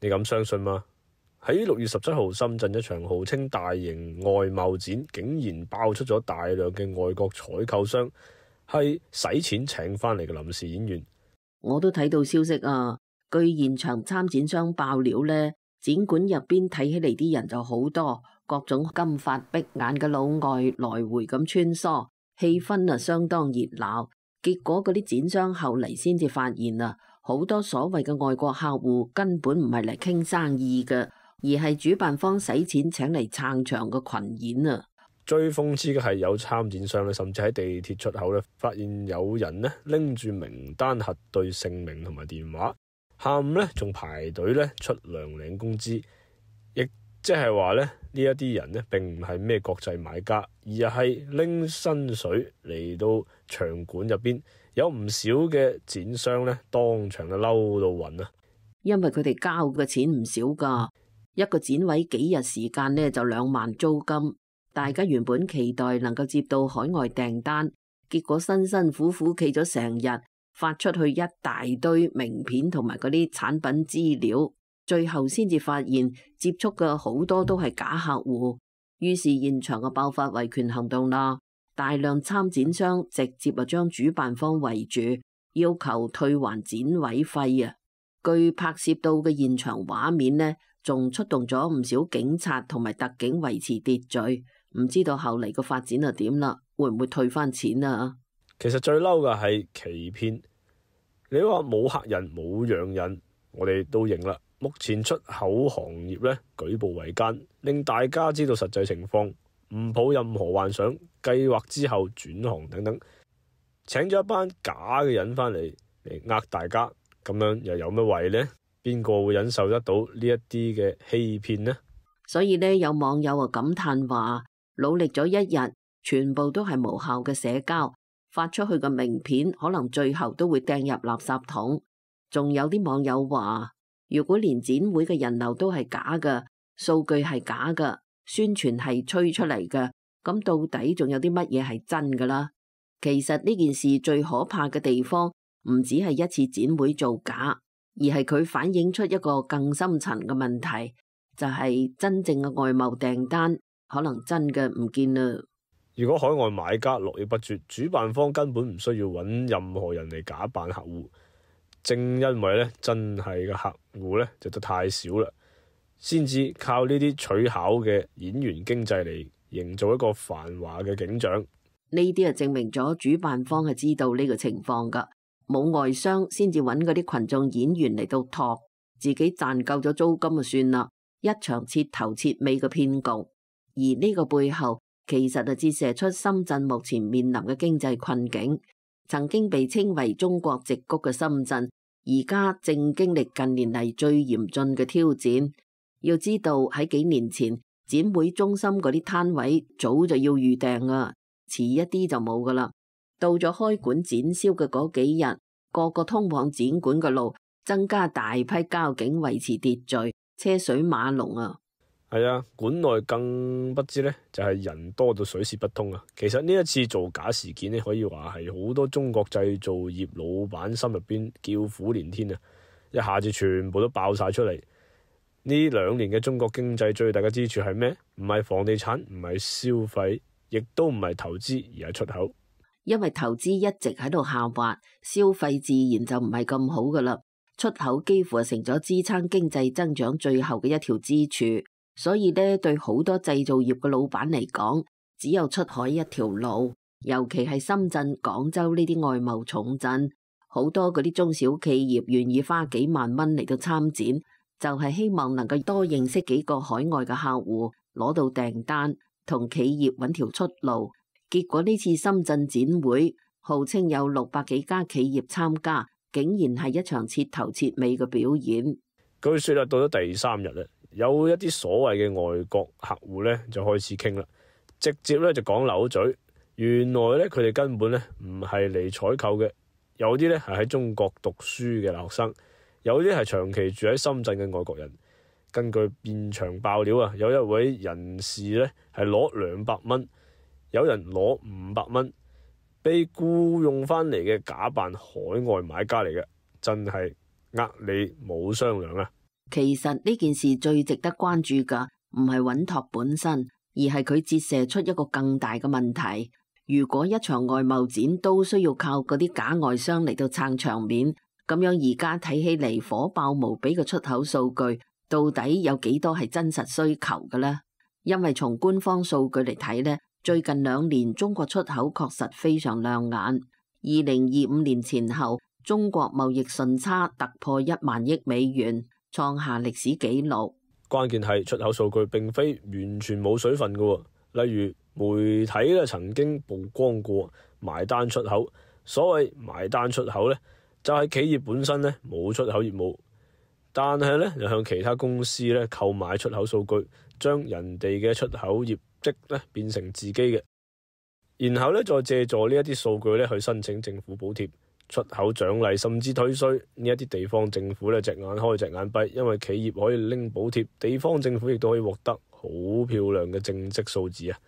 你敢相信嗎？喺6月17號，深圳一場號稱大型外貿展，竟然爆出咗大量嘅外國採購商係使錢請翻嚟嘅臨時演員。我都睇到消息啊，據現場參展商爆料呢，展館入邊睇起嚟啲人就好多，各種金髮碧眼嘅老外來回咁穿梭，氣氛啊相當熱鬧。結果嗰啲展商後嚟先至發現啊，好多所謂嘅外國客戶根本唔係嚟傾生意嘅，而係主辦方使錢請嚟撐場嘅群演啊！最諷刺嘅係有參展商咧，甚至喺地鐵出口咧，發現有人咧拎住名單核對姓名同埋電話，下午咧仲排隊咧出糧領工資，亦即係話咧呢一啲人咧並唔係咩國際買家，而係拎薪水嚟到場館入邊，有唔少嘅展商咧當場就嬲到暈啊！因為佢哋交嘅錢唔少噶，一個展位幾日時間咧就2萬租金。大家原本期待能夠接到海外訂單，結果辛辛苦苦企咗成日，發出去一大堆名片同埋嗰啲產品資料，最後先至發現接觸嘅好多都係假客戶，於是現場嘅爆發維權行動啦，大量參展商直接就將主辦方圍住，要求退還展位費啊！據拍攝到嘅現場畫面呢，仲出動咗唔少警察同埋特警維持秩序。唔知道後嚟個發展係點啦，會唔會退翻錢啊？其實最嬲嘅係欺騙。你話冇客人冇洋人，我哋都認啦。目前出口行業咧舉步維艱，令大家知道實際情況，唔抱任何幻想，計劃之後轉行等等，請咗一班假嘅人翻嚟呃大家，咁樣又有乜謂呢？邊個會忍受得到呢一啲嘅欺騙呢？所以呢，有網友啊感嘆話，努力咗一日，全部都係無效嘅社交，發出去嘅名片可能最後都會掟入垃圾桶。仲有啲網友話，如果連展會嘅人流都係假嘅，數據係假嘅，宣傳係吹出嚟嘅，咁到底仲有啲乜嘢係真㗎啦？其實呢件事最可怕嘅地方，唔止係一次展會造假，而係佢反映出一個更深層嘅問題，就係真正嘅外貿訂單可能真嘅唔見啦。如果海外買家絡繹不絕，主辦方根本唔需要揾任何人嚟假扮客戶。正因為咧真係嘅客戶咧就得太少啦，先至靠呢啲取巧嘅演員經濟嚟營造一個繁華嘅景象。呢啲啊證明咗主辦方係知道呢個情況噶，冇外商先至揾嗰啲群眾演員嚟到托，自己賺夠咗租金就算啦。一場徹頭徹尾嘅騙局，而呢個背後其實就折射出深圳目前面臨嘅經濟困境。曾經被稱為中國矽谷嘅深圳，而家正經歷近年嚟最嚴峻嘅挑戰。要知道喺幾年前，展會中心嗰啲攤位早就要預訂啊，遲一啲就冇噶啦。到咗開館展銷嘅嗰幾日，個個通往展館嘅路增加大批交警維持秩序，車水馬龍啊！係啊，館內更不知呢，就係人多到水泄不通啊！其實呢一次造假事件呢，可以話係好多中國製造業老闆心入邊叫苦連天啊！一下子全部都爆晒出嚟。呢2年嘅中國經濟最大嘅支柱係咩？唔係房地產，唔係消費，亦都唔係投資，而係出口。因為投資一直喺度下滑，消費自然就唔係咁好噶啦。出口幾乎係成咗支撐經濟增長最後嘅一條支柱。所以呢，對好多製造業嘅老闆嚟講，只有出海一條路。尤其係深圳、廣州呢啲外貿重鎮，好多嗰啲中小企業願意花幾萬蚊嚟到參展，就係希望能夠多認識幾個海外嘅客戶，攞到訂單，同企業揾條出路。結果呢次深圳展會，號稱有600幾家企業參加，竟然係一場徹頭徹尾嘅表演。據說啦，到咗第3日啦，有一啲所謂嘅外國客戶咧就開始傾啦，直接咧就講漏嘴。原來咧佢哋根本咧唔係嚟採購嘅，有啲咧係喺中國讀書嘅留學生，有啲係長期住喺深圳嘅外國人。根據現場爆料啊，有一位人士咧係攞200蚊，有人攞500蚊，被僱用翻嚟嘅假扮海外買家嚟嘅，真係呃你冇商量啊！其實呢件事最值得關注㗎，唔係穩妥本身，而係佢折射出一個更大嘅問題。如果一場外貿展都需要靠嗰啲假外商嚟到撐場面，咁樣而家睇起嚟火爆無比嘅出口數據，到底有幾多係真實需求嘅呢？因為從官方數據嚟睇呢，最近2年中國出口確實非常亮眼。2025年前後，中國貿易順差突破1萬億美元，創下歷史紀錄。關鍵係出口數據並非完全冇水分嘅，例如媒體咧曾經曝光過埋單出口。所謂埋單出口咧，就係企業本身咧冇出口業務，但係咧又向其他公司咧購買出口數據，將人哋嘅出口業績咧變成自己嘅，然後咧再借助呢一啲數據咧去申請政府補貼、出口獎勵，甚至退稅。呢一啲地方政府咧隻眼開隻眼閉，因為企業可以拎補貼，地方政府亦都可以獲得好漂亮嘅正職數字啊！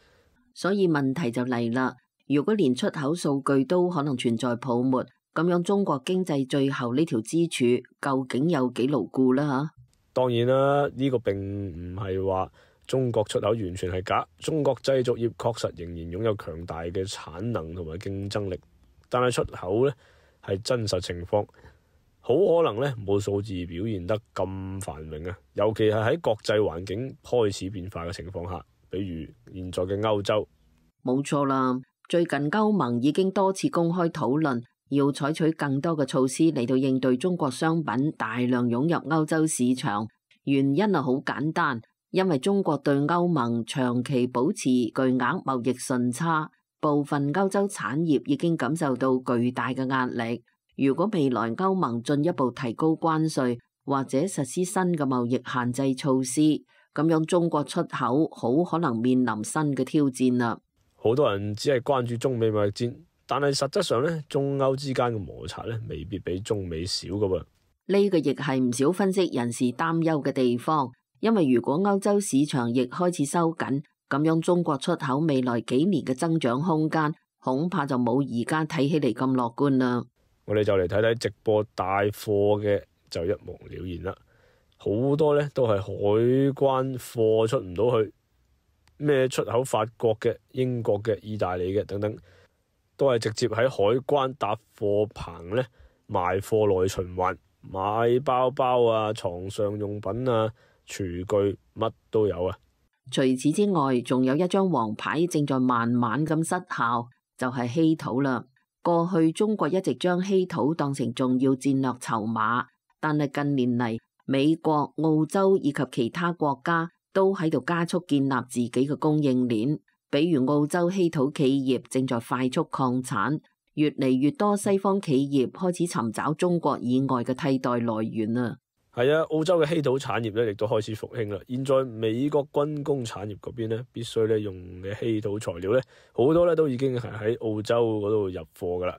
所以問題就嚟啦，如果連出口數據都可能存在泡沫，咁樣中國經濟最後呢條支柱究竟有幾牢固啦？嚇，當然啦，呢個並唔係話中國出口完全係假，中國製造業確實仍然擁有強大嘅產能同埋競爭力，但係出口呢係真實情況，好可能呢冇數字表現得咁繁榮啊！尤其係喺國際環境開始變化嘅情況下，比如現在嘅歐洲。冇錯啦，最近歐盟已經多次公開討論，要採取更多嘅措施嚟到應對中國商品大量湧入歐洲市場。原因係好簡單，因為中國對歐盟長期保持巨額貿易順差，部分歐洲產業已經感受到巨大嘅壓力。如果未來歐盟進一步提高關稅，或者實施新嘅貿易限制措施，咁樣中國出口好可能面臨新嘅挑戰啦。好多人只係關注中美貿易戰，但係實質上咧，中歐之間嘅摩擦咧，未必比中美少噶噃。呢個亦係唔少分析人士擔憂嘅地方，因為如果歐洲市場亦開始收緊，咁樣中國出口未來幾年嘅增長空間，恐怕就冇而家睇起嚟咁樂觀啦。我哋就嚟睇睇直播帶貨嘅就一目了然啦。好多咧都係海關貨出唔到去，咩出口法國嘅、英國嘅、意大利嘅等等，都係直接喺海關搭貨棚咧賣貨內循環，買包包啊、床上用品啊、廚具乜都有啊。除此之外，仲有一張黃牌正在慢慢咁失效，就係稀土啦。過去中國一直將稀土當成重要戰略籌碼，但係近年嚟，美國、澳洲以及其他國家都喺度加速建立自己嘅供應鏈。比如澳洲稀土企業正在快速擴產，越嚟越多西方企業開始尋找中國以外嘅替代來源啊。係啊，澳洲嘅稀土產業咧亦都開始復興啦。現在美國軍工產業嗰邊咧，必須咧用嘅稀土材料咧，好多咧都已經係喺澳洲嗰度入貨噶啦，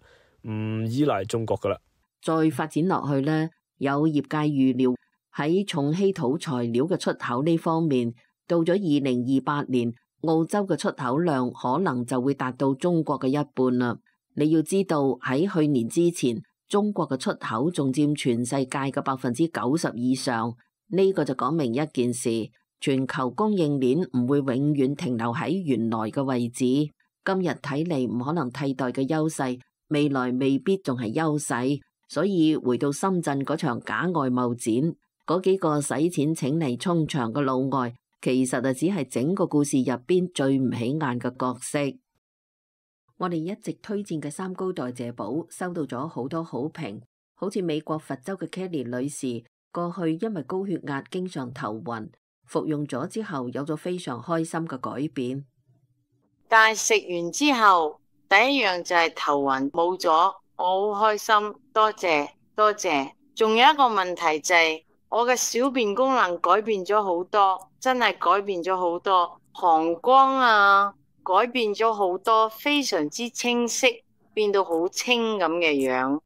唔依賴中國噶啦。再發展落去呢，有業界預料喺重稀土材料嘅出口呢方面，到咗2028年，澳洲嘅出口量可能就會達到中國嘅一半啦。你要知道喺去年之前，中國嘅出口仲佔全世界嘅90%以上，呢個就講明一件事：全球供應鏈唔會永遠停留喺原來嘅位置。今日睇嚟唔可能替代嘅優勢，未來未必仲係優勢。所以回到深圳嗰場假外貿展，嗰幾個使錢請嚟衝場嘅老外，其實就只係整個故事入邊最唔起眼嘅角色。我哋一直推薦嘅三高代謝寶收到咗好多好評，好似美國佛州嘅 Kelly 女士，過去因為高血壓經常頭暈，服用咗之後有咗非常開心嘅改變。但係食完之後，第一樣就係頭暈冇咗，我好開心，多謝多謝。仲有一個問題就係我嘅小便功能改變咗好多，真係改變咗好多，膀胱啊改變咗好多，非常之清晰，變到好清咁嘅樣。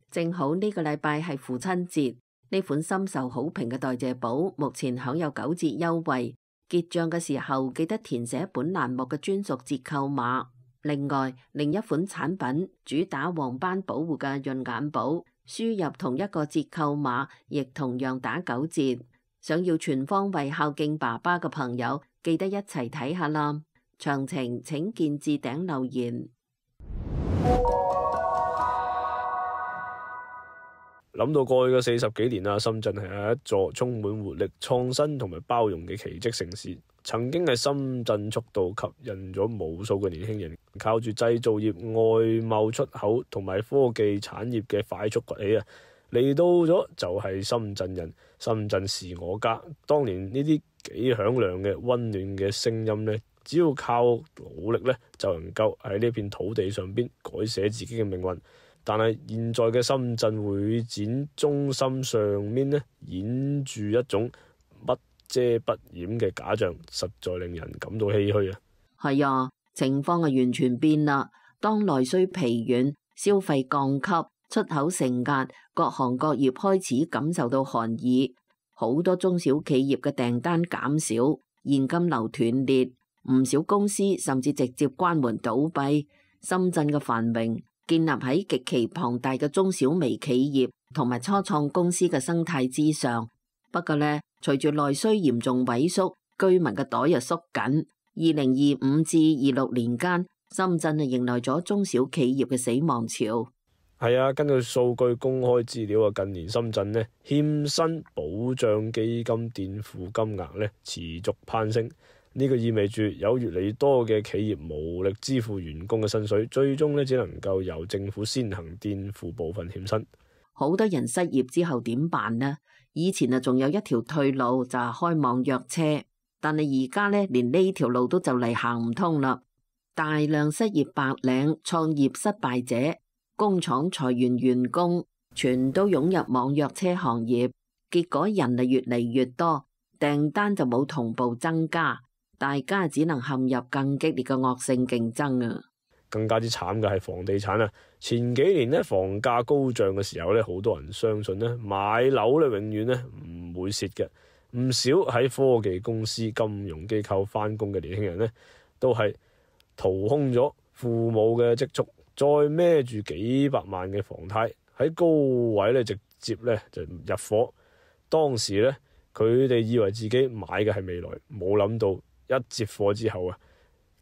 正好呢個禮拜係父親節，呢款深受好評嘅代謝寶目前享有9折優惠，結賬嘅時候記得填寫本欄目嘅專屬折扣碼。另外，另一款產品主打黃斑保護嘅潤眼寶，輸入同一個折扣碼，亦同樣打9折。想要全方位孝敬爸爸嘅朋友，記得一齊睇下啦。詳情請見置頂留言。諗到過去嘅40幾年啦，深圳係一座充滿活力、創新同埋包容嘅奇蹟城市。曾經係深圳速度吸引咗無數嘅年輕人，靠住製造業、外貿出口同埋科技產業嘅快速崛起啊！嚟到咗就係深圳人，深圳是我家。當年呢啲幾響亮嘅溫暖嘅聲音呢，只要靠努力呢，就能夠喺呢片土地上邊改寫自己嘅命運。但係現在嘅深圳會展中心上面呢，演住一種不遮不掩嘅假象，實在令人感到唏噓啊！係啊，情況係完全變啦。當內需疲軟、消費降級、出口承壓，各行各業開始感受到寒意，好多中小企業嘅訂單減少，現金流斷裂，唔少公司甚至直接關門倒閉。深圳嘅繁榮建立喺極其龐大嘅中小微企業同埋初創公司嘅生態之上。不過呢，隨住內需嚴重萎縮，居民嘅袋又縮緊。2025至26年間，深圳迎來咗中小企業嘅死亡潮。係啊，根據數據公開資料啊，近年深圳呢欠薪保障基金墊付金額呢持續攀升。呢個意味住有越嚟越多嘅企業無力支付員工嘅薪水，最終呢只能夠由政府先行墊付部分欠薪。好多人失業之後點辦呢？以前啊仲有一條退路就係開網約車，但係而家呢連呢條路都就嚟行唔通啦。大量失業白領、創業失敗者、工廠裁員員工，全都湧入網約車行業，結果人啊越嚟越多，訂單就冇同步增加。大家只能陷入更激烈嘅惡性競爭啊！更加之慘嘅係房地產啊！前幾年呢，房價高漲嘅時候呢，好多人相信呢買樓呢永遠呢唔會蝕嘅。唔少喺科技公司、金融機構返工嘅年輕人呢，都係掏空咗父母嘅積蓄，再孭住幾百萬嘅房貸喺高位呢直接呢就入伙。當時呢，佢哋以為自己買嘅係未來，冇諗到一接貨之後啊，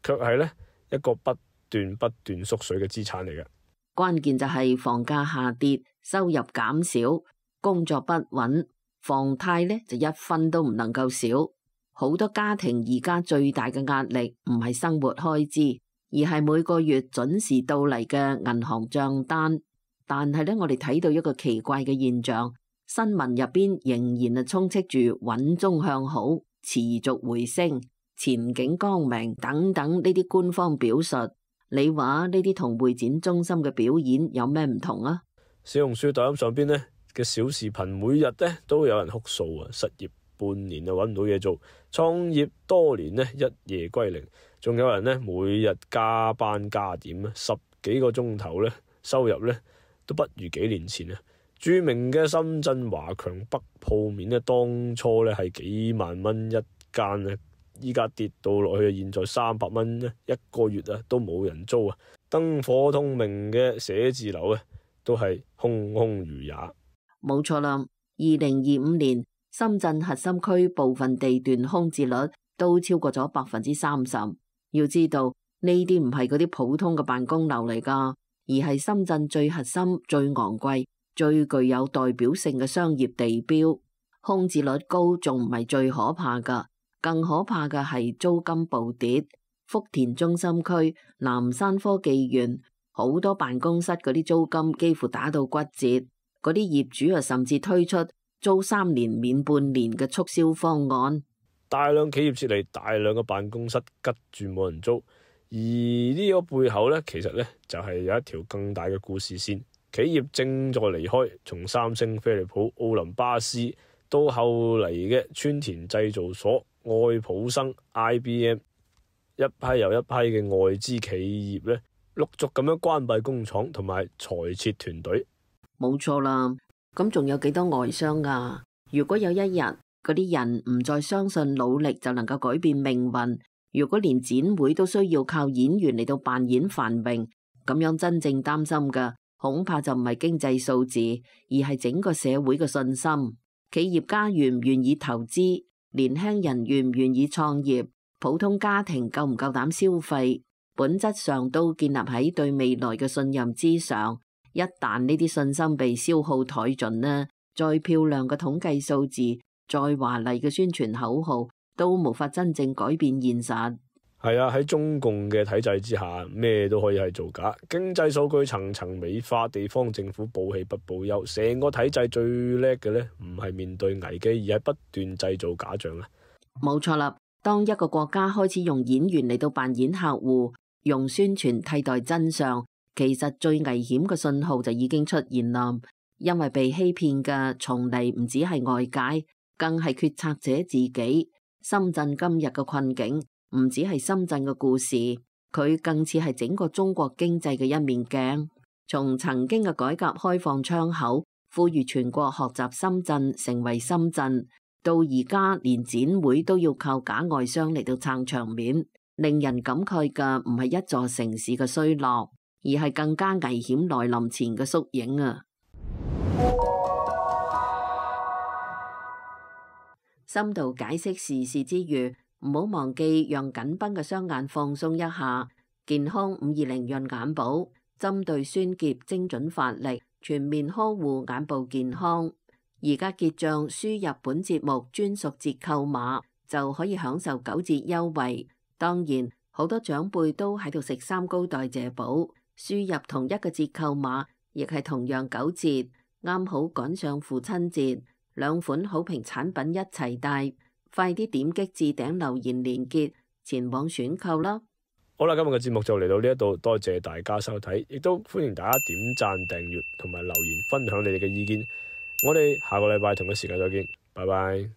卻係呢一個不斷縮水嘅資產嚟嘅。關鍵就係房價下跌，收入減少，工作不穩，房貸呢就一分都唔能夠少。好多家庭而家最大嘅壓力唔係生活開支，而係每個月準時到嚟嘅銀行賬單。但係呢，我哋睇到一個奇怪嘅現象，新聞入邊仍然係充斥住穩中向好、持續回升、前景光明等等呢啲官方表述。你話呢啲同會展中心嘅表演有咩唔同啊？小紅書、抖音上邊呢嘅小視頻，每日呢都有人哭訴啊，失業半年啊揾唔到嘢做，創業多年呢一夜歸零，仲有人呢每日加班加點啊，10幾個鐘頭呢，收入呢都不如幾年前啊。著名嘅深圳華強北鋪面呢，當初呢係幾萬蚊一間啊，依家跌到落去，現在300蚊一個月啊，都冇人租啊！燈火通明嘅寫字樓啊，都係空空如也。冇錯啦，2025年深圳核心區部分地段空置率都超過咗30%。要知道呢啲唔係嗰啲普通嘅辦公樓嚟噶，而係深圳最核心、最昂貴、最具有代表性嘅商業地標。空置率高仲唔係最可怕噶。更可怕嘅係租金暴跌，福田中心區、南山科技園好多辦公室嗰啲租金幾乎打到骨折，嗰啲業主啊甚至推出租3年免半年嘅促銷方案。大量企業撤離，大量嘅辦公室吉住冇人租，而呢個背後呢，其實呢就係有一條更大嘅故事線。企業正在離開，從三星、飛利浦、奧林巴斯到後嚟嘅川田製造所、愛普生、IBM， 一批又一批嘅外資企業咧，陸續咁樣關閉工廠同埋裁撤團隊。冇錯啦，咁仲有幾多外商啊？如果有一日嗰啲人唔再相信努力就能夠改變命運，如果連展會都需要靠演員嚟到扮演繁榮，咁樣真正擔心嘅恐怕就唔係經濟數字，而係整個社會嘅信心。企業家願唔願意投資，年輕人願唔願意創業，普通家庭夠唔夠膽消費，本質上都建立喺對未來嘅信任之上。一旦呢啲信心被消耗殆盡呢，再漂亮嘅統計數字，再華麗嘅宣傳口號，都無法真正改變現實。係啊，喺中共嘅體制之下，咩都可以係造假。經濟數據層層美化，地方政府報喜不報憂，成個體制最叻嘅呢，唔係面對危機，而係不斷製造假象啊！冇錯啦，當一個國家開始用演員嚟到扮演客戶，用宣傳替代真相，其實最危險嘅信號就已經出現啦。因為被欺騙嘅從嚟唔止係外界，更係決策者自己。深圳今日嘅困境，唔止係深圳嘅故事，佢更似係整個中國經濟嘅一面鏡。從曾經嘅改革開放窗口，呼籲全國學習深圳，成為深圳，到而家連展會都要靠假外商嚟到撐場面，令人感慨嘅唔係一座城市嘅衰落，而係更加危險來臨前嘅縮影啊！深度解釋時事之餘，唔好忘記讓緊繃嘅雙眼放鬆一下。健康520潤眼寶，針對酸澀精準發力，全面呵護眼部健康。而家結賬輸入本節目專屬折扣碼，就可以享受9折優惠。當然，好多長輩都喺度食三高代謝寶，輸入同一個折扣碼，亦係同樣9折，啱好趕上父親節。兩款好評產品一齊帶，快啲點擊置頂留言連結前往選購啦！好啦，今日嘅節目就嚟到呢一度，多謝大家收睇，亦都歡迎大家點讚、訂閱同埋留言分享你哋嘅意見。我哋下個禮拜同一時間再見，拜拜。